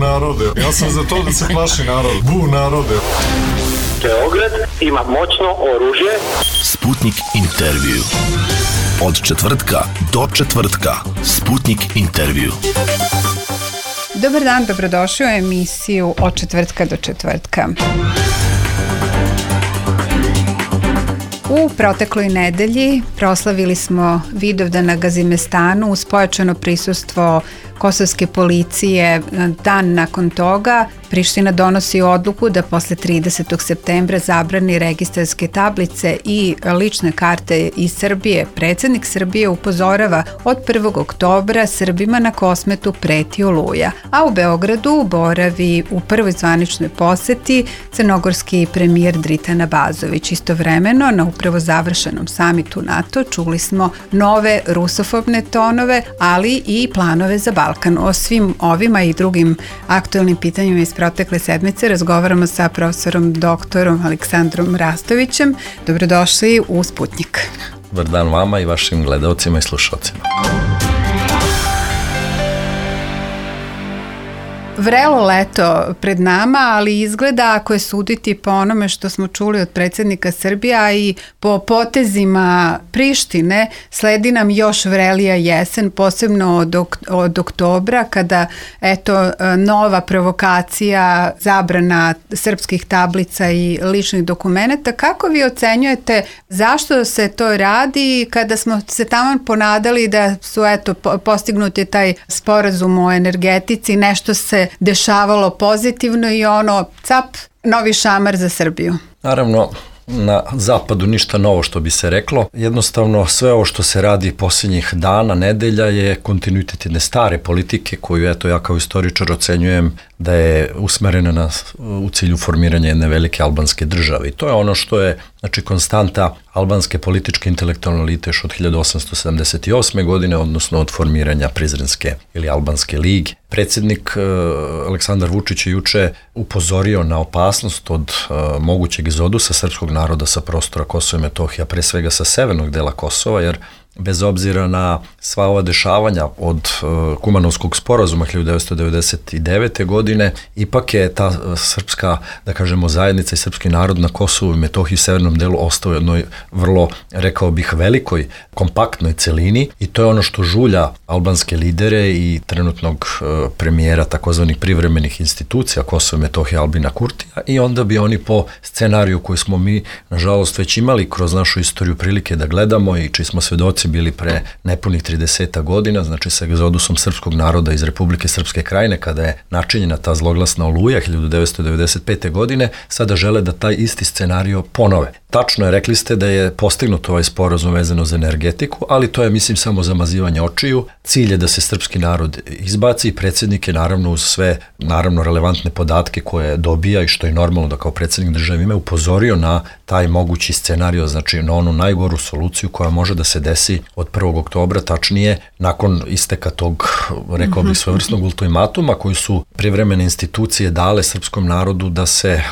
narode, ja sam za to da se plaši narod. Bu narode. Beograd ima moćno oružje. Sputnik intervju. Od četvrtka do četvrtka. Sputnik intervju. Dobar dan, dobrodošli u emisiju Od četvrtka do četvrtka. U protekloj nedelji proslavili smo Vidovdan na Gazimestanu uz pojačano prisustvo kosovske policije. Dan nakon toga Priština donosi odluku da posle 30. septembra zabrani registarske tablice i lične karte iz Srbije. Predsednik Srbije upozorava od 1. oktobra Srbima na Kosmetu preti oluja, a u Beogradu boravi u prvoj zvaničnoj poseti crnogorski premijer Dritan Abazović. Istovremeno, na upravo završenom samitu NATO čuli smo nove rusofobne tonove, ali i planove za Balkan. O svim ovima i drugim aktuelnim pitanjima iz protekle sedmice razgovaramo sa profesorom doktorom Aleksandrom Rastovićem. Dobrodošli u Sputnik. Dobar dan vama i vašim gledalcima i slušalcima. Vrelo leto pred nama, ali izgleda, ako je suditi po onome što smo čuli od predsjednika Srbije, a i po potezima Prištine, sledi nam još vrelija jesen, posebno od oktobra, kada nova provokacija, zabrana srpskih tablica i ličnih dokumenata. Kako vi ocenjujete zašto se to radi kada smo se tamo ponadali da su postignuti taj sporazum o energetici, nešto se dešavalo pozitivno i novi šamar za Srbiju? Naravno, na zapadu ništa novo što bi se reklo. Jednostavno sve ovo što se radi posljednjih dana, nedelja je kontinuitet jedne stare politike koju ja kao istoričar ocenjujem da je usmerena u cilju formiranja jedne velike albanske države. I to je ono što je konstanta albanske političke intelektualne elite još od 1878. godine, odnosno od formiranja Prizrenske ili Albanske lige. Predsjednik Aleksandar Vučić je juče upozorio na opasnost od mogućeg egzodusa srpskog naroda sa prostora Kosova i Metohija, pre svega sa severnog dela Kosova, jer bez obzira na sva ova dešavanja od Kumanovskog sporazuma 1999. godine, ipak je ta srpska, da kažemo, zajednica i srpski narod na Kosovu i Metohiji u severnom delu ostao u jednoj vrlo, rekao bih, velikoj, kompaktnoj celini i to je ono što žulja albanske lidere i trenutnog premijera takozvanih privremenih institucija Kosova i Metohije Albina Kurtija i onda bi oni po scenariju koji smo mi, nažalost, već imali kroz našu istoriju prilike da gledamo i čiji smo svedoci bili pre nepunih 30 godina, znači sa egzodusom srpskog naroda iz Republike Srpske Krajine, kada je načinjena ta zloglasna oluja 1995. godine, sada žele da taj isti scenario ponove. Tačno je, rekli ste da je postignut ovaj sporazum vezano za energetiku, ali to je, mislim, samo zamazivanje očiju. Cilj je da se srpski narod izbaci i predsjednik je naravno uz sve relevantne podatke koje dobija i što je normalno da kao predsjednik države ima upozorio na taj mogući scenario, znači na onu najgoru soluciju koja može da se desi od 1. oktobra, tačnije nakon isteka tog, rekao bih, svojevrsnog ultimatuma koji su privremene institucije dale srpskom narodu da se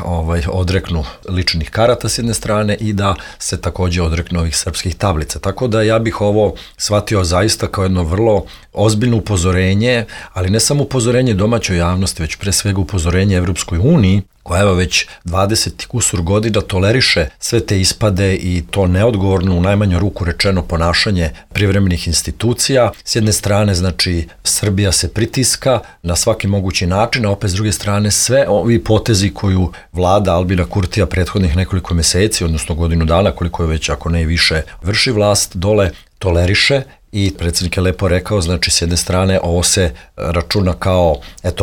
odreknu ličnih karata s jedne strane i da se takođe odreknu ovih srpskih tablica. Tako da ja bih ovo shvatio zaista kao jedno vrlo ozbiljno upozorenje, ali ne samo upozorenje domaćoj javnosti, već pre svega upozorenje Evropskoj uniji, koja već 20 kusur godina toleriše sve te ispade i to neodgovorno, u najmanju ruku rečeno, ponašanje privremenih institucija. S jedne strane, znači, Srbija se pritiska na svaki mogući način, a opet s druge strane sve ovi potezi koju vlada Albina Kurtija prethodnih nekoliko meseci, odnosno godinu dana, koliko je već, ako ne i više, vrši vlast dole, toleriše. I predsjednik je lepo rekao, znači s jedne strane ovo se računa kao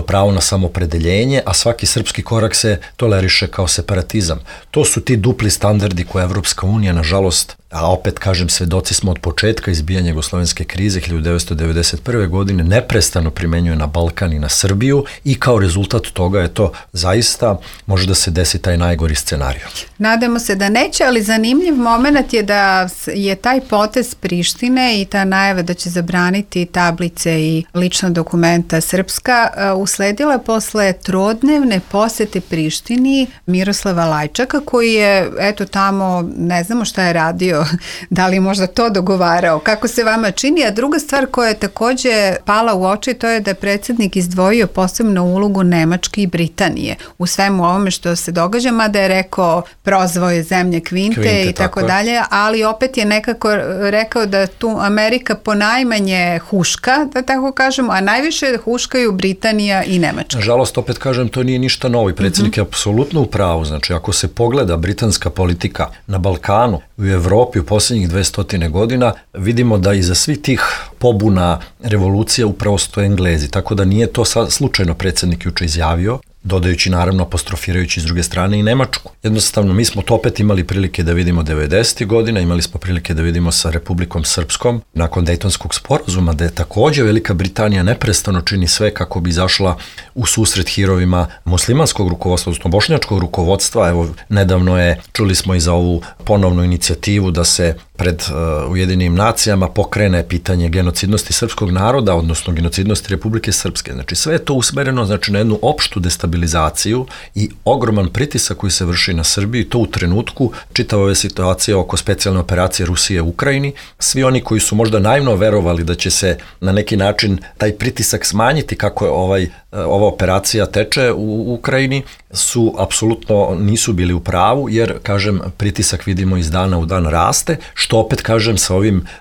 pravo na samopredeljenje, a svaki srpski korak se toleriše kao separatizam. To su ti dupli standardi koje Evropska unija, nažalost, a opet kažem, svedoci smo od početka izbijanja jugoslovenske krize 1991. godine, neprestano primenjuje na Balkan i na Srbiju i kao rezultat toga zaista može da se desi taj najgori scenarij. Nadamo se da neće, ali zanimljiv moment je da je taj potez Prištine i ta najava da će zabraniti tablice i lična dokumenta srpska usledila posle trodnevne posete Prištini Miroslava Lajčaka, koji je tamo, ne znamo šta je radio radio, da li možda to dogovarao, kako se vama čini, a druga stvar koja je takođe pala u oči, to je da je predsjednik izdvojio posebnu ulogu Nemačke i Britanije u svemu ovome što se događa, mada je rekao prozvao je zemlje Kvinte i tako dalje, ali opet je nekako rekao da tu Amerika ponajmanje huška, da tako kažemo, a najviše huškaju Britanija i Nemačka. Nažalost, opet kažem, to nije ništa novo i predsjednik je apsolutno u pravu. Znači, ako se pogleda britanska politika na Balkanu, u Evropi u posljednjih 200 godina, vidimo da iza svih tih pobuna, revolucija upravo stoje Englezi, tako da nije to slučajno predsjednik juče izjavio, dodajući naravno, apostrofirajući s druge strane i Nemačku. Jednostavno, mi smo to opet imali prilike da vidimo 90. godina, imali smo prilike da vidimo sa Republikom Srpskom, nakon Dejtonskog sporazuma, da je takođe Velika Britanija neprestano čini sve kako bi izašla u susret hirovima muslimanskog rukovodstva, odnosno bošnjačkog rukovodstva. Evo, nedavno je, čuli smo i za ovu ponovnu inicijativu da se pred Ujedinim nacijama pokrene pitanje genocidnosti srpskog naroda, odnosno genocidnosti Republike Srpske. Znači, sve je to usmereno, znači, na jednu opštu destabilizaciju i ogroman pritisak koji se vrši na Srbiju, to u trenutku čitava ove situacije oko specijalne operacije Rusije u Ukrajini. Svi oni koji su možda naivno verovali da će se na neki način taj pritisak smanjiti kako je ova operacija teče u Ukrajini, su apsolutno nisu bili u pravu, jer, kažem, pritisak vidimo iz dana u dan raste, što opet, kažem, sa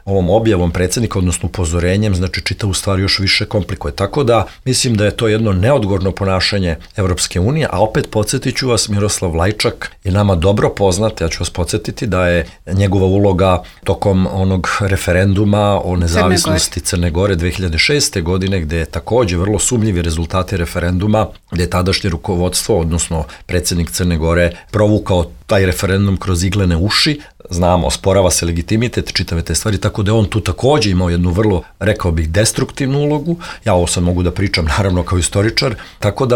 ovom objavom predsjednika, odnosno upozorenjem, znači čitavu stvar još više komplikuje. Tako da, mislim da je to jedno neodgovorno ponašanje Evropske unije, a opet podsjetit ću vas, Miroslav Lajčak je nama dobro poznat, ja ću vas podsjetiti da je njegova uloga tokom onog referenduma o nezavisnosti Crne Gore 2006. godine, gde je takođe vrlo sumnjivi rezultati referenduma, gde je tadašnje rukovodstvo, odnosno predsjednik Crne Gore, provukao taj referendum kroz iglene uši, znamo, osporava se legitimitet čitave te stvari, tako da on tu takođe imao jednu vrlo, rekao bih, destruktivnu ulogu. Ja ovo sad mogu da pričam, naravno, kao istoričar, tako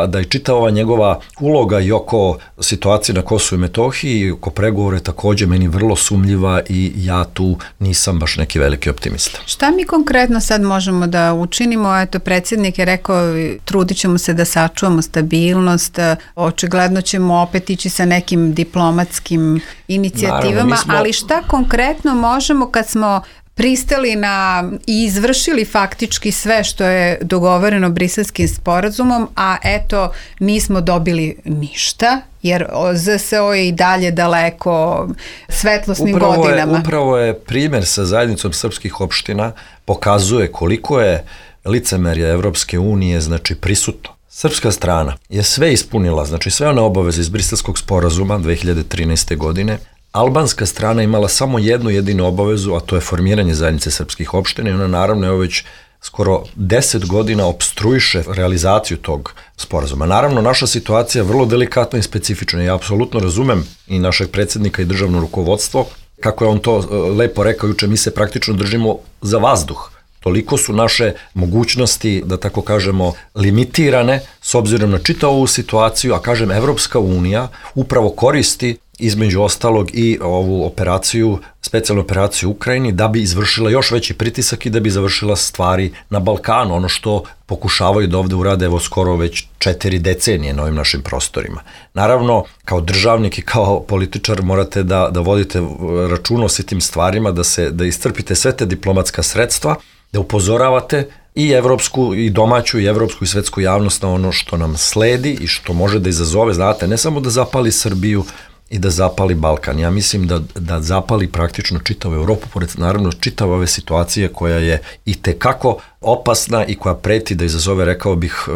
da je čitava njegova uloga i oko situacije na Kosovu i Metohiji i oko pregovore takođe meni vrlo sumnjiva i ja tu nisam baš neki veliki optimista. Šta mi konkretno sad možemo da učinimo? Eto, predsjednik je rekao, trudit ćemo se da sačuvamo stabilnost, očigledno ćemo opet ići sa nekim diplomatskim inicijativama, ali šta konkretno možemo kad smo pristali na i izvršili faktički sve što je dogovoreno Briselskim sporazumom, a eto nismo dobili ništa, jer ZSO je i dalje daleko svetlosnim godinama. Upravo je primjer sa zajednicom srpskih opština pokazuje koliko je licemerje Evropske unije, znači, prisutno. Srpska strana je sve ispunila, znači sve one obaveze iz Briselskog sporazuma 2013. godine. Albanska strana imala samo jednu jedinu obavezu, a to je formiranje zajednice srpskih opština i ona naravno je već skoro 10 godina opstruiše realizaciju tog sporazuma. Naravno, naša situacija je vrlo delikatna i specifična. Ja apsolutno razumem i našeg predsjednika i državno rukovodstvo, kako je on to lepo rekao juče, mi se praktično držimo za vazduh. Toliko su naše mogućnosti, da tako kažemo, limitirane s obzirom na čitavu ovu situaciju, a kažem, Evropska unija upravo koristi između ostalog i ovu operaciju, specijalnu operaciju u Ukrajini, da bi izvršila još veći pritisak i da bi završila stvari na Balkanu, ono što pokušavaju da ovde urade evo skoro već 4 decenije na ovim našim prostorima. Naravno, kao državnik i kao političar morate da vodite računa o svim tim stvarima, da iscrpite sve te diplomatska sredstva, da upozoravate i evropsku, i domaću, i evropsku, i svetsku javnost na ono što nam sledi i što može da izazove, znate, ne samo da zapali Srbiju i da zapali Balkan. Ja mislim da zapali praktično čitavu Evropu, pored naravno čitave ove situacije koja je i tekako opasna i koja preti da izazove, rekao bih,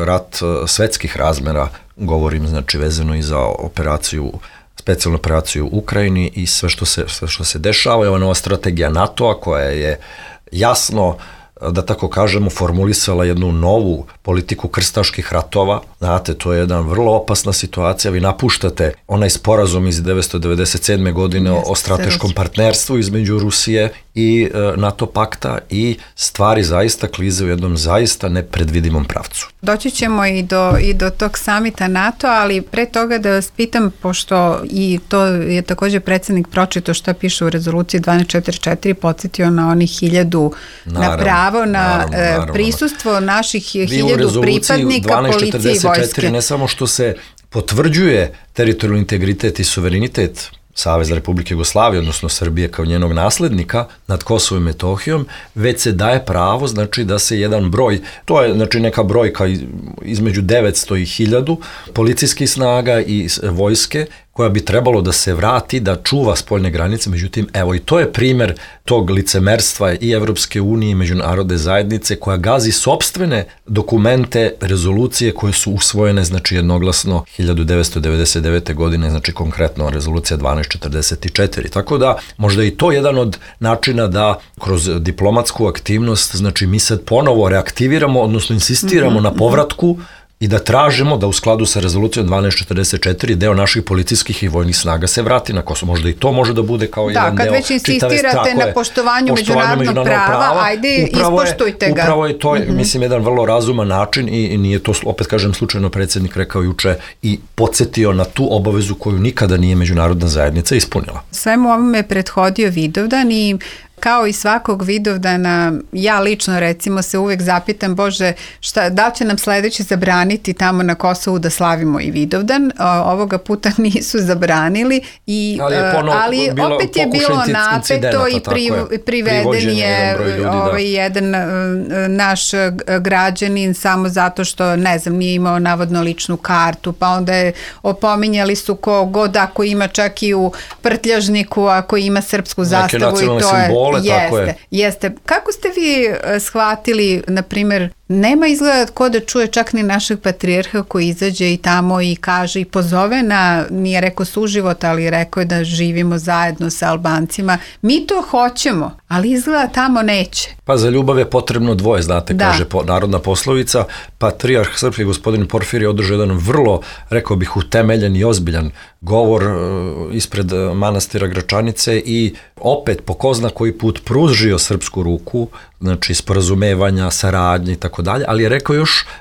rat svetskih razmera, govorim, znači, vezano i za specijalnu operaciju u Ukrajini i sve što se dešava. Je ova nova strategija NATO-a koja je jasno, da tako kažemo, formulisala jednu novu politiku krstaških ratova. Znate, to je jedna vrlo opasna situacija. Vi napuštate onaj sporazum iz 1997. godine o strateškom partnerstvu između Rusije i NATO pakta i stvari zaista klize u jednom zaista nepredvidimom pravcu. Doći ćemo i do tog samita NATO, ali pre toga da vas pitam, pošto i to je također predsjednik pročito šta piše u rezoluciji 1244, podsjetio na onih 1000 na pravo na prisustvo naših 1000 pripadnika policije i vojske. Ne samo što se potvrđuje teritorijalni integritet i suverenitet Savezne Republike Jugoslavije, odnosno Srbije kao njenog naslednika nad Kosovom i Metohijom, već se daje pravo, znači da se jedan broj, to je znači neka brojka između 900 i 1000 policijskih snaga i vojske, koja bi trebalo da se vrati, da čuva spoljne granice, međutim, evo i to je primer tog licemerstva i Evropske unije i međunarodne zajednice koja gazi sopstvene dokumente, rezolucije koje su usvojene, znači jednoglasno 1999. godine, znači konkretno rezolucija 1244. Tako da možda i to jedan od načina da kroz diplomatsku aktivnost, znači mi sad ponovo reaktiviramo, odnosno insistiramo na povratku i da tražimo da u skladu sa rezolucijom 1244 deo naših policijskih i vojnih snaga se vrati na Kosovo. Možda i to može da bude kao jedan deo. Da, kad već insistirate na poštovanju međunarodnog prava, ajde ispoštujte ga. Upravo je to, mislim, jedan vrlo razuman način i nije to, opet kažem, slučajno predsjednik rekao juče i podsjetio na tu obavezu koju nikada nije međunarodna zajednica ispunila. Svemu ovome je prethodio Vidovdan i kao i svakog Vidovdana, ja lično recimo se uvek zapitam, Bože, da li će nam sledeći zabraniti tamo na Kosovu da slavimo i Vidovdan? Ovoga puta nisu zabranili, ali opet je bilo napeto i priveden je jedan naš građanin samo zato što, ne znam, nije imao navodno ličnu kartu, pa onda je opominjali su ko god ako ima čak i u prtljažniku, ako ima srpsku zastavu i to je. Jeste. Kako ste vi shvatili, na primjer, nema izgleda ko da čuje čak ni našeg patrijarha koji izađe i tamo i kaže i pozove na, nije rekao suživot, ali rekao je da živimo zajedno sa Albancima. Mi to hoćemo, ali izgleda tamo neće. Pa za ljubav je potrebno dvoje, znate, kaže narodna poslovica. Patrijarh srpski gospodin Porfirije održao jedan vrlo, rekao bih, utemeljen i ozbiljan govor ispred manastira Gračanice i opet po ko zna koji put pružio srpsku ruku, znači sporazumevanja, saradnje i tako dalje, ali je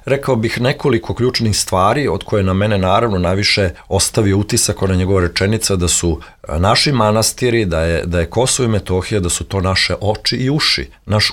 rekao bih nekoliko ključnih stvari od koje na mene naravno najviše ostavio utisak ona njegova rečenica da su naši manastiri, da je Kosovo i Metohija, da su to naše oči i uši, naš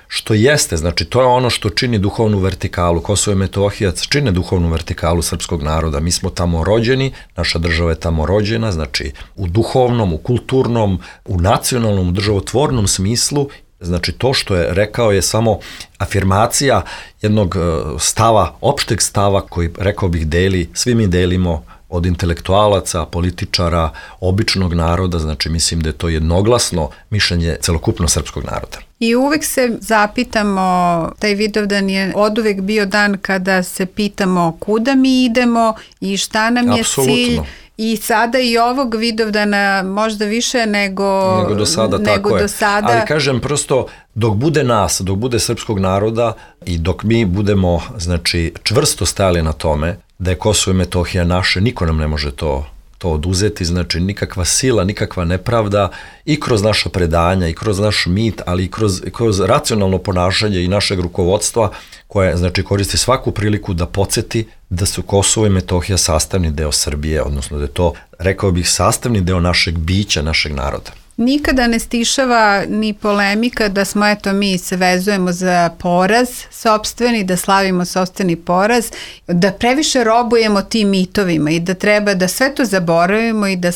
što jeste, znači to je ono što čini duhovnu vertikalu. Kosovo i Metohija čine duhovnu vertikalu srpskog naroda. Mi smo tamo rođeni, naša država je tamo rođena, znači u duhovnom, u kulturnom, u nacionalnom, u državotvornom smislu. Znači to što je rekao je samo afirmacija jednog stava, opšteg stava koji, rekao bih, svi mi delimo od intelektualaca, političara, običnog naroda, znači mislim da je to jednoglasno mišljenje celokupno srpskog naroda. I uvek se zapitamo, taj Vidovdan je oduvek bio dan kada se pitamo kuda mi idemo i šta nam je cilj. I sada i ovog Vidovdana možda više nego do sada, ali kažem prosto dok bude nas, dok bude srpskog naroda i dok mi budemo, znači, čvrsto stajali na tome da je Kosovo i Metohija naše, niko nam ne može to oduzeti, znači nikakva sila, nikakva nepravda i kroz naša predanja i kroz naš mit, ali i kroz racionalno ponašanje i našeg rukovodstva koje, znači, koristi svaku priliku da podsjeti da su Kosovo i Metohija sastavni deo Srbije, odnosno da je to, rekao bih, sastavni deo našeg bića, našeg naroda. Nikada ne stišava ni polemika da smo, mi se vezujemo za poraz sopstveni, da slavimo sopstveni poraz, da previše robujemo tim mitovima i da treba da sve to zaboravimo i da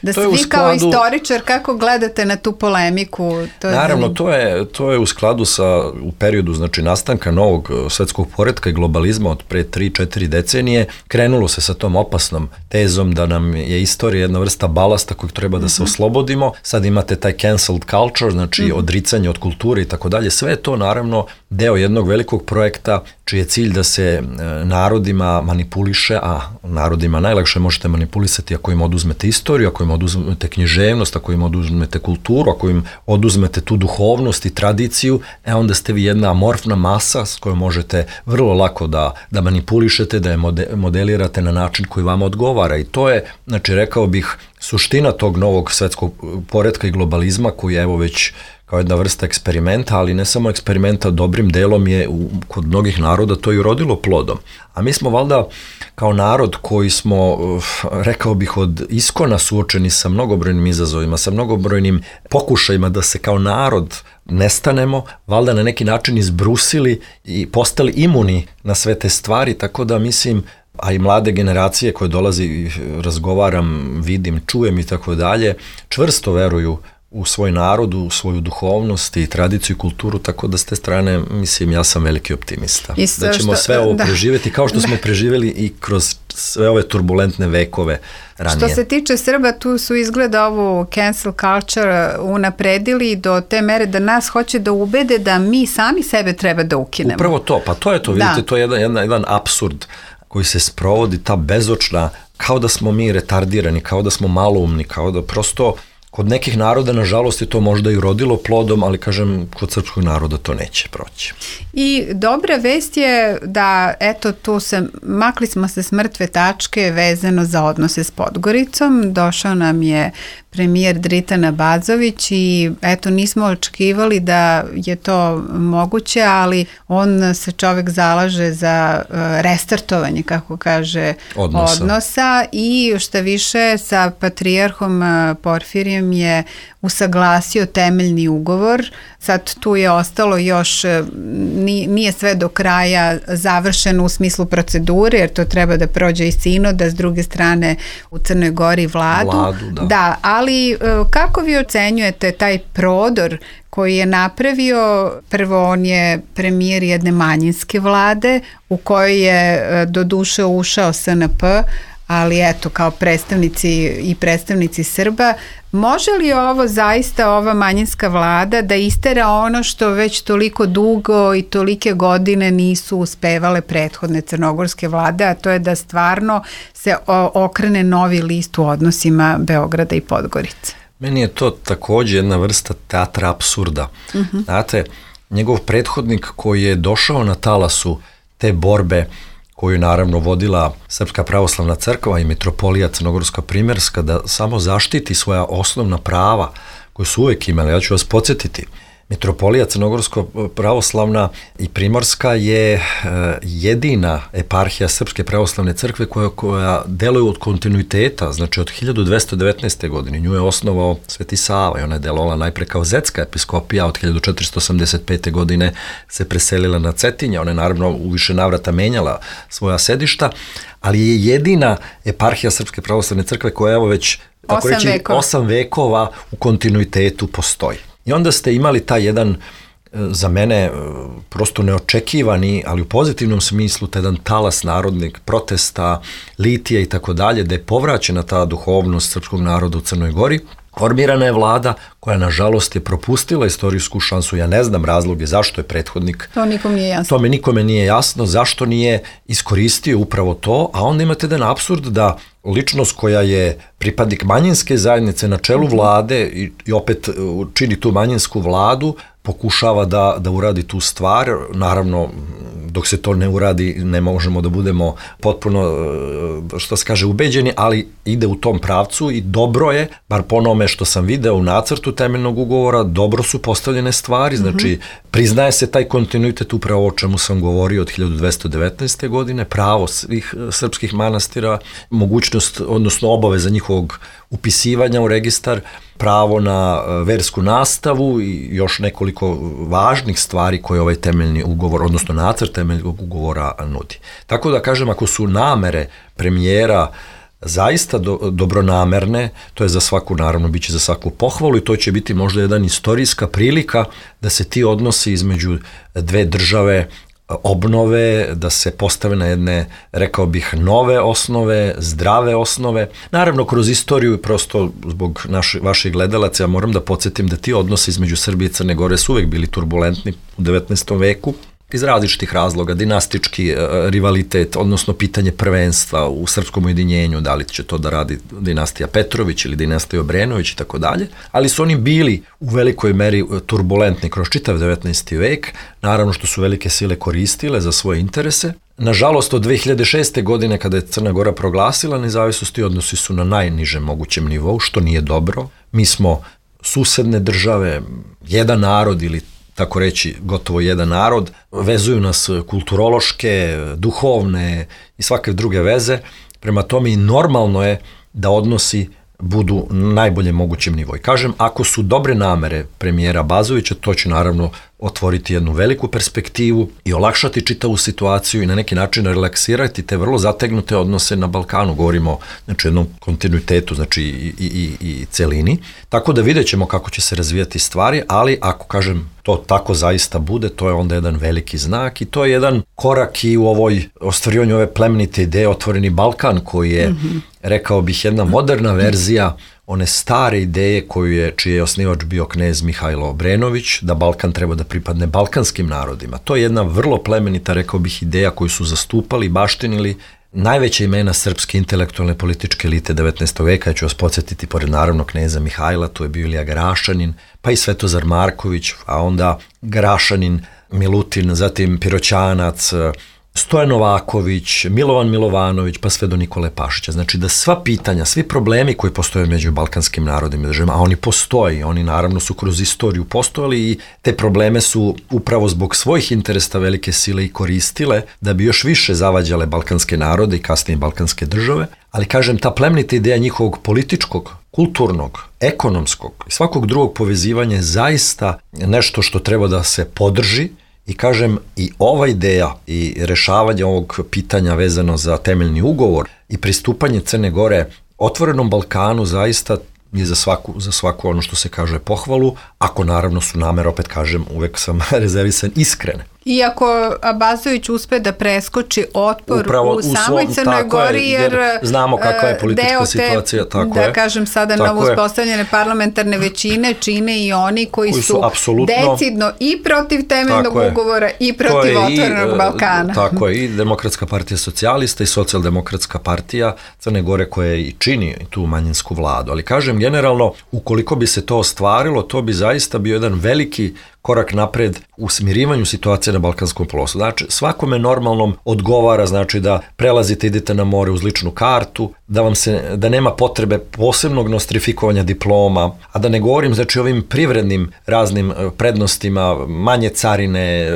vi kao istoričar, kako gledate na tu polemiku? Naravno, to je u skladu u periodu, znači, nastanka novog svetskog poretka i globalizma od pre 3-4 decenije, krenulo se sa tom opasnom tezom da nam je istorija jedna vrsta balasta kojeg treba da se oslobodimo. Sad imate taj cancelled culture, znači odricanje od kulture i tako dalje. Sve je to naravno deo jednog velikog projekta čiji je cilj da se narodima manipuliše, a narodima najlakše možete manipulisati ako im oduzmete istoriju, ako im oduzmete književnost, ako im oduzmete kulturu, ako im oduzmete tu duhovnost i tradiciju, onda ste vi jedna amorfna masa s kojom možete vrlo lako da manipulišete, da je modelirate na način koji vama odgovara. I to je, znači, rekao bih, suština tog novog svetskog poretka i globalizma koji je evo već kao jedna vrsta eksperimenta, ali ne samo eksperimenta, dobrim delom je kod mnogih naroda to i urodilo plodom. A mi smo valjda kao narod koji smo, rekao bih, od iskona suočeni sa mnogobrojnim izazovima, sa mnogobrojnim pokušajima da se kao narod nestanemo, valjda na neki način izbrusili i postali imuni na sve te stvari, tako da mislim a i mlade generacije koje dolazi, razgovaram, vidim, čujem i tako dalje, čvrsto veruju u svoj narod, u svoju duhovnost i tradiciju i kulturu, tako da s te strane, mislim, ja sam veliki optimista. Da ćemo sve ovo preživjeti kao što smo preživjeli i kroz sve ove turbulentne vekove ranije. Što se tiče Srba, tu su izgleda ovu cancel culture unapredili do te mere da nas hoće da ubede da mi sami sebe treba da ukinemo. Upravo to, pa to je to, vidite, to je jedan apsurd koji se sprovodi, ta bezočna, kao da smo mi retardirani, kao da smo maloumni, kao da prosto kod nekih naroda, nažalost, je to možda i rodilo plodom, ali kažem, kod srpskog naroda to neće proći. I dobra vest je da, eto, makli smo se s mrtve tačke vezano za odnose s Podgoricom. Došao nam je premijer Dritan Abazović i eto, nismo očekivali da je to moguće, ali on se čovek zalaže za restartovanje, kako kaže, odnosa i šta više sa patrijarhom Porfirijem je usaglasio temeljni ugovor. Sad tu je ostalo još, nije sve do kraja završeno u smislu procedure, jer to treba da prođe i sinoda, s druge strane u Crnoj Gori vladu. Da, ali kako vi ocenjujete taj prodor koji je napravio? Prvo, on je premijer jedne manjinske vlade u kojoj je do duše ušao SNP, ali eto, kao predstavnici Srba. Može li ovo zaista, ova manjinska vlada, da istera ono što već toliko dugo i tolike godine nisu uspevale prethodne crnogorske vlade, a to je da stvarno se okrene novi list u odnosima Beograda i Podgorice? Meni je to takođe jedna vrsta teatra apsurda. Znate, njegov prethodnik koji je došao na talasu te borbe koju je naravno vodila Srpska pravoslavna crkva i mitropolija Crnogorska Primerska, da samo zaštiti svoja osnovna prava koje su uvek imali. Ja ću vas podsjetiti, mitropolija Crnogorska pravoslavna i Primorska je jedina eparhija Srpske pravoslavne crkve koja deluje od kontinuiteta, znači od 1219. godine. Nju je osnovao Sveti Sava i ona je delovala najpre kao zetska episkopija, od 1485. godine se preselila na Cetinje, ona je naravno u više navrata menjala svoja sedišta, ali je jedina eparhija Srpske pravoslavne crkve koja evo već, tako reći, 8 vekova u kontinuitetu postoji. I onda ste imali taj jedan, za mene, prosto neočekivani, ali u pozitivnom smislu, taj jedan talas narodnih protesta, litija i tako dalje, da je povraćena ta duhovnost srpskog naroda u Crnoj Gori. Formirana je vlada koja, nažalost, je propustila istorijsku šansu. Ja ne znam razloge zašto je prethodnik. To nikom nije jasno. To me nikome nije jasno zašto nije iskoristio upravo to, a onda imate jedan apsurd da ličnost koja je pripadnik manjinske zajednice na čelu vlade i opet čini tu manjinsku vladu, pokušava da uradi tu stvar. Naravno, dok se to ne uradi, ne možemo da budemo potpuno, što se kaže, ubeđeni, ali ide u tom pravcu i dobro je, bar po onome što sam video u nacrtu temeljnog ugovora, dobro su postavljene stvari, znači priznaje se taj kontinuitet, upravo o čemu sam govorio od 1219. godine, pravo svih srpskih manastira, mogućnost, odnosno obaveza njihovog upisivanja u registar, pravo na versku nastavu i još nekoliko važnih stvari koje ovaj temeljni ugovor, odnosno nacrt temeljnog ugovora nudi. Tako da kažem, ako su namere premijera zaista dobronamerne, to je za svaku, naravno, bit će za svaku pohvalu i to će biti možda jedan istorijska prilika da se ti odnosi između dve države obnove, da se postave na jedne, rekao bih, nove osnove, zdrave osnove. Naravno, kroz istoriju, prosto zbog vaših gledalaca, ja moram da podsjetim da ti odnosi između Srbije i Crne Gore su uvek bili turbulentni u 19. veku, iz različitih razloga, dinastički rivalitet, odnosno pitanje prvenstva u srpskom ujedinjenju, da li će to da radi dinastija Petrović ili dinastija Obrenović i tako dalje, ali su oni bili u velikoj meri turbulentni kroz čitav 19. vek, naravno što su velike sile koristile za svoje interese. Nažalost, od 2006. godine kada je Crna Gora proglasila nezavisnost, odnosi su na najnižem mogućem nivou, što nije dobro. Mi smo susedne države, jedan narod ili tako reći gotovo jedan narod, vezuju nas kulturološke, duhovne i svake druge veze, prema tome i normalno je da odnosi budu na najboljem mogućem nivou. I kažem, ako su dobre namere premijera Bazovića, to će naravno otvoriti jednu veliku perspektivu i olakšati čitavu situaciju i na neki način relaksirati te vrlo zategnute odnose na Balkanu. Govorimo znači, o jednom kontinuitetu znači, i celini. Tako da vidjet ćemo kako će se razvijati stvari, ali ako kažem to tako zaista bude, to je onda jedan veliki znak i to je jedan korak i u ostvarivanju ove plemenite ideje Otvoreni Balkan koji je, rekao bih, jedna moderna verzija one stare ideje čiji je osnivač bio knez Mihajlo Obrenović, da Balkan treba da pripadne balkanskim narodima. To je jedna vrlo plemenita, rekao bih, ideja koju su zastupali, baštinili najveća imena srpske intelektualne političke elite 19. veka. Ja ću vas podsjetiti, pored naravno kneza Mihajla, tu je bio Ilija Grašanin, pa i Svetozar Marković, a onda Grašanin, Milutin, zatim Piroćanac, Stojan Novaković, Milovan Milovanović, pa sve do Nikole Pašića. Znači da sva pitanja, svi problemi koji postoje među balkanskim narodima i državama, a oni postoji, oni naravno su kroz istoriju postojali i te probleme su upravo zbog svojih interesa velike sile i koristile da bi još više zavađale balkanske narode i kasnije balkanske države. Ali kažem, ta plemenita ideja njihovog političkog, kulturnog, ekonomskog i svakog drugog povezivanja je zaista nešto što treba da se podrži. I kažem, i ova ideja i rešavanje ovog pitanja vezano za temeljni ugovor i pristupanje Crne Gore Otvorenom Balkanu zaista je za svaku ono što se kaže pohvalu, ako naravno su namere, opet kažem, uvek sam rezervisan, iskrene. Iako Abazović uspe da preskoči otpor upravo u samoj Crnoj Gori, jer znamo kakva je politička situacija, tako je. Da kažem sada novo uspostavljene parlamentarne većine čine i oni koji su decidno i protiv temeljnog ugovora i protiv Otvorenog Balkana. Tako je, i Demokratska partija socijalista i Socijaldemokratska partija Crne Gore koja i čini tu manjinsku vladu. Ali kažem, generalno, ukoliko bi se to ostvarilo, to bi zaista bio jedan veliki korak napred u smirivanju situacije na Balkanskom poluostrvu. Znači, svakome normalnom odgovara, znači da prelazite, idete na more uz ličnu kartu, da nema potrebe posebnog nostrifikovanja diploma, a da ne govorim, znači, ovim privrednim raznim prednostima, manje carine,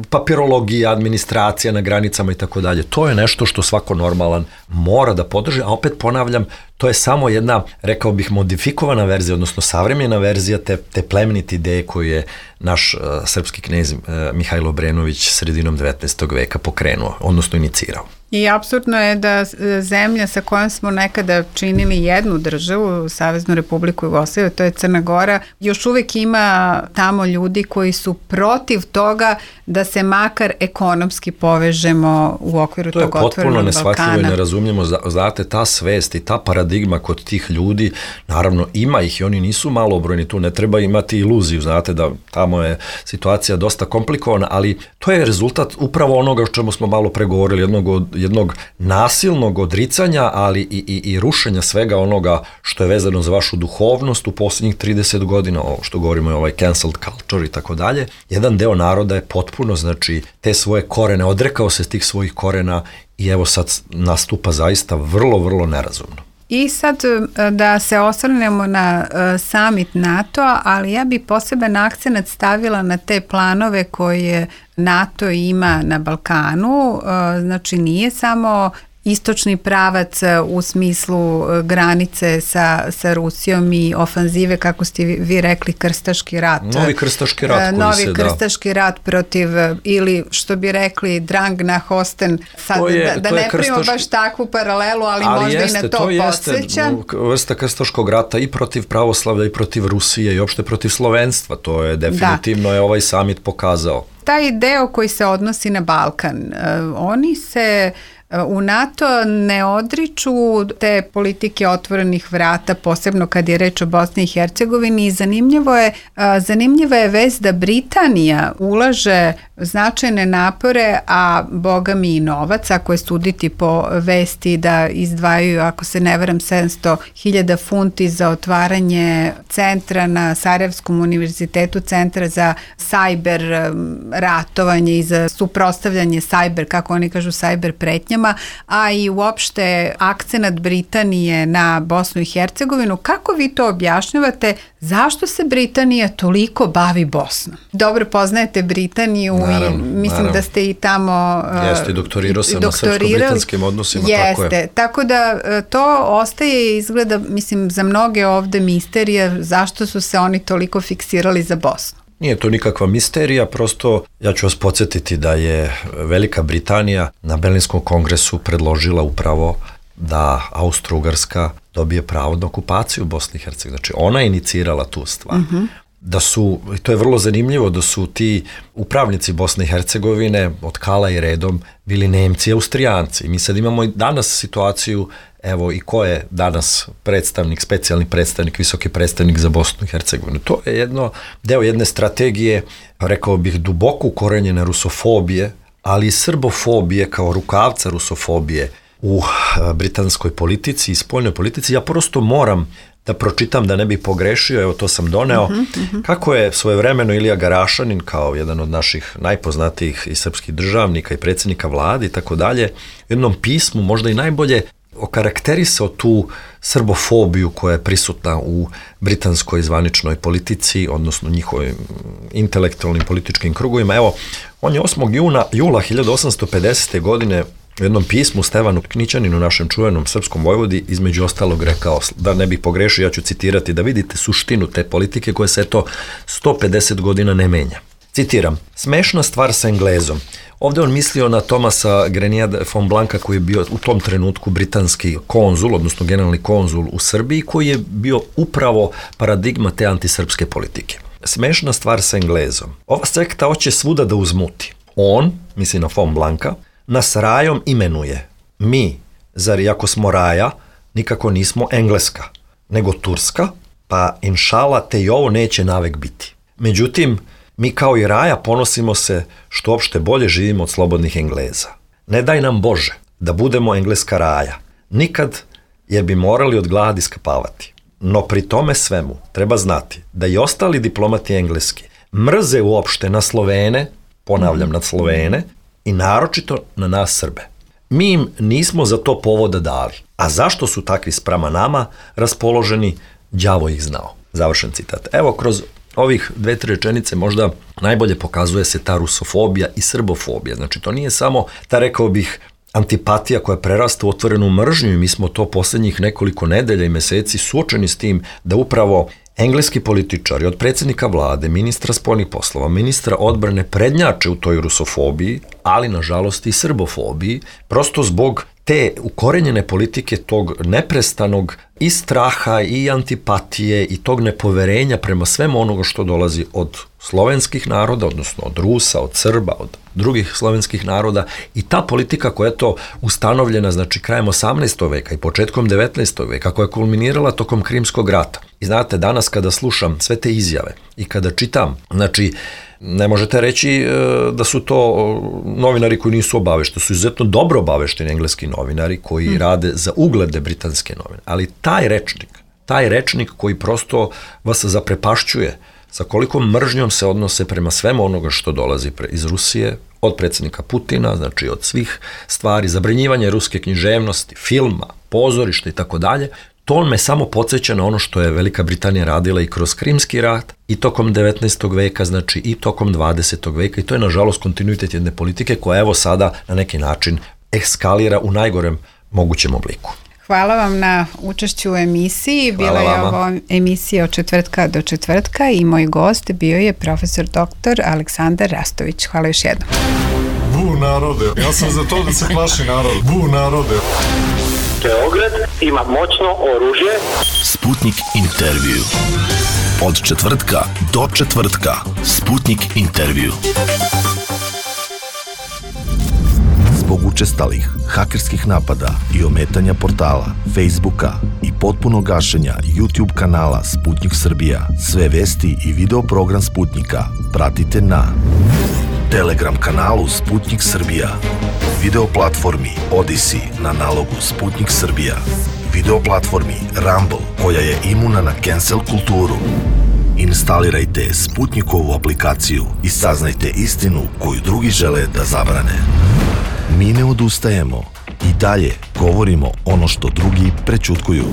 papirologija, administracija na granicama i tako dalje. To je nešto što svako normalan mora da podrži, a opet ponavljam, to je samo jedna, rekao bih, modifikovana verzija, odnosno savremena verzija te plemenite ideje koju je naš srpski knez Mihajlo Obrenović sredinom 19. veka pokrenuo, odnosno inicirao. I apsurdno je da zemlja sa kojom smo nekada činili jednu državu, Saveznu Republiku Jugoslaviju, to je Crna Gora, još uvijek ima tamo ljudi koji su protiv toga da se makar ekonomski povežemo u okviru tog Otvorenog Balkana. To je potpuno neshvatljivo i nerazumljivo. Znate, ta svest i ta paradigma kod tih ljudi, naravno ima ih i oni nisu malobrojni, tu ne treba imati iluziju, znate da tamo je situacija dosta komplikovana, ali to je rezultat upravo onoga o čemu smo malo pregovorili, jednog nasilnog odricanja, ali i rušenja svega onoga što je vezano za vašu duhovnost u posljednjih 30 godina, ovo što govorimo je ovaj cancelled culture i tako dalje. Jedan deo naroda je potpuno, znači, te svoje korene, odrekao se tih svojih korena i evo sad nastupa zaista vrlo, vrlo nerazumno. I sad da se osvrnemo na summit NATO-a, ali ja bi poseban akcenat stavila na te planove koje NATO ima na Balkanu. Znači nije samo istočni pravac u smislu granice sa Rusijom i ofanzive, kako ste vi rekli, krstaški rat. Novi krstaški rat. Novi krstaški rat protiv, ili što bi rekli, Drang na Hosten. Sad, da ne primamo baš takvu paralelu, ali možda i na to podsjeća. Ali jeste, vrsta krstaškog rata i protiv pravoslavlja i protiv Rusije i uopšte protiv slovenstva. To je definitivno je ovaj summit pokazao. Taj deo koji se odnosi na Balkan, oni se u NATO ne odriču te politike otvorenih vrata, posebno kad je reč o Bosni i Hercegovini, i zanimljiva je vest da Britanija ulaže značajne napore, a boga mi i novac, ako je suditi po vesti da izdvajaju, ako se ne varam, 700.000 funti za otvaranje centra na Sarajevskom univerzitetu, centra za sajber ratovanje i za suprotstavljanje sajber, kako oni kažu, sajber pretnjama. Britanijama, a i uopšte akcenat Britanije na Bosnu i Hercegovinu. Kako vi to objašnjavate? Zašto se Britanija toliko bavi Bosnom? Dobro poznajete Britaniju i mislim da ste i tamo Jeste, doktorirao sam na srpsko-britanskim odnosima. Jeste, tako da to ostaje izgleda, mislim, za mnoge ovde misterija zašto su se oni toliko fiksirali za Bosnu. Nije to nikakva misterija, prosto ja ću vas podsjetiti da je Velika Britanija na Berlinskom kongresu predložila upravo da Austro-Ugarska dobije pravo na okupaciju Bosne i Hercegovine. Znači ona je inicirala tu stvar. Da su, to je vrlo zanimljivo, da su ti upravnici Bosne i Hercegovine od Kala i redom bili Nemci i Austrijanci. Mi sad imamo i danas situaciju, evo i ko je danas predstavnik, specijalni predstavnik, visoki predstavnik za Bosnu i Hercegovinu. To je deo jedne strategije, rekao bih, duboko ukorenjene rusofobije, ali i srbofobije kao rukavca rusofobije u britanskoj politici i spoljnoj politici. Ja prosto moram da pročitam da ne bih pogrešio, evo to sam doneo, kako je svojevremeno Ilija Garašanin, kao jedan od naših najpoznatijih i srpskih državnika i predsjednika vlade i tako dalje, u jednom pismu možda i najbolje okarakterisao tu srbofobiju koja je prisutna u britanskoj zvaničnoj politici, odnosno njihovim intelektualnim političkim krugovima. Evo, on je 8. jula 1850. godine u jednom pismu Stevanu Knićaninu, našem čuvenom srpskom vojvodi, između ostalog rekao, da ne bih pogrešio, ja ću citirati, da vidite suštinu te politike koja se 150 godina ne menja. Citiram, smešna stvar sa Englezom. Ovdje on mislio na Thomasa Grenier von Blanca, koji je bio u tom trenutku britanski konzul, odnosno generalni konzul u Srbiji, koji je bio upravo paradigma te antisrpske politike. Smešna stvar sa Englezom. Ova sekta hoće svuda da uzmuti. On, misli na von Blanca, nas rajom imenuje. Mi, zar iako smo raja, nikako nismo Engleska, nego Turska, pa inšala te i ovo neće navek biti. Međutim, mi kao i raja ponosimo se što opšte bolje živimo od slobodnih Engleza. Ne daj nam Bože da budemo engleska raja, nikad, jer bi morali od gladi skapavati. No pri tome svemu treba znati da i ostali diplomati engleski mrze uopšte na Slovene, ponavljam na Slovene, i naročito na nas Srbe. Mi im nismo za to povoda dali. A zašto su takvi sprama nama raspoloženi, đavo ih znao. Završen citat. Evo, kroz ovih 2-3 rečenice možda najbolje pokazuje se ta rusofobija i srbofobija. Znači, to nije samo ta, rekao bih, antipatija koja prerasta u otvorenu mržnju i mi smo to posljednjih nekoliko nedelja i meseci suočeni s tim da upravo engleski političari od predsjednika vlade, ministra spoljnih poslova, ministra odbrane prednjače u toj rusofobiji, ali nažalost i srbofobiji, prosto zbog te ukorenjene politike tog neprestanog i straha i antipatije i tog nepoverenja prema svemu onoga što dolazi od slovenskih naroda, odnosno od Rusa, od Srba, od drugih slovenskih naroda, i ta politika koja je to ustanovljena, znači krajem 18. veka i početkom 19. veka, koja je kulminirala tokom Krimskog rata. I znate, danas kada slušam sve te izjave i kada čitam, znači ne možete reći da su to novinari koji nisu obavešteni, su izuzetno dobro obavešteni engleski novinari koji rade za uglede britanske novine, ali taj rečnik koji prosto vas zaprepašćuje sa kolikom mržnjom se odnose prema svemu onoga što dolazi iz Rusije, od predsjednika Putina, znači od svih stvari, zabranjivanje ruske književnosti, filma, pozorišta i tako dalje. To me samo podsjeća na ono što je Velika Britanija radila i kroz Krimski rat i tokom 19. veka, znači i tokom 20. veka, i to je nažalost kontinuitet jedne politike koja evo sada na neki način eskalira u najgorem mogućem obliku. Hvala vam na učešću u emisiji. Bila je ovo emisija od četvrtka do četvrtka i moj gost bio je profesor dr. Aleksandar Rastović. Hvala još jednom. Bu narode, ja sam za to da se plaši narod. Bu narode. Beograd ima moćno oružje. Sputnik intervju. Od četvrtka do četvrtka. Sputnik intervju. Zbog učestalih hakerskih napada i ometanja portala, Facebooka i potpunog gašenja YouTube kanala Sputnik Srbija, sve vesti i video program Sputnika pratite na Telegram kanalu Sputnik Srbija, video platformi Odyssey na nalogu Sputnik Srbija, video platformi Rumble koja je imuna na cancel kulturu. Instalirajte Sputnikovu aplikaciju i saznajte istinu koju drugi žele da zabrane. Mi ne odustajemo dalje govorimo ono što drugi prećutkuju.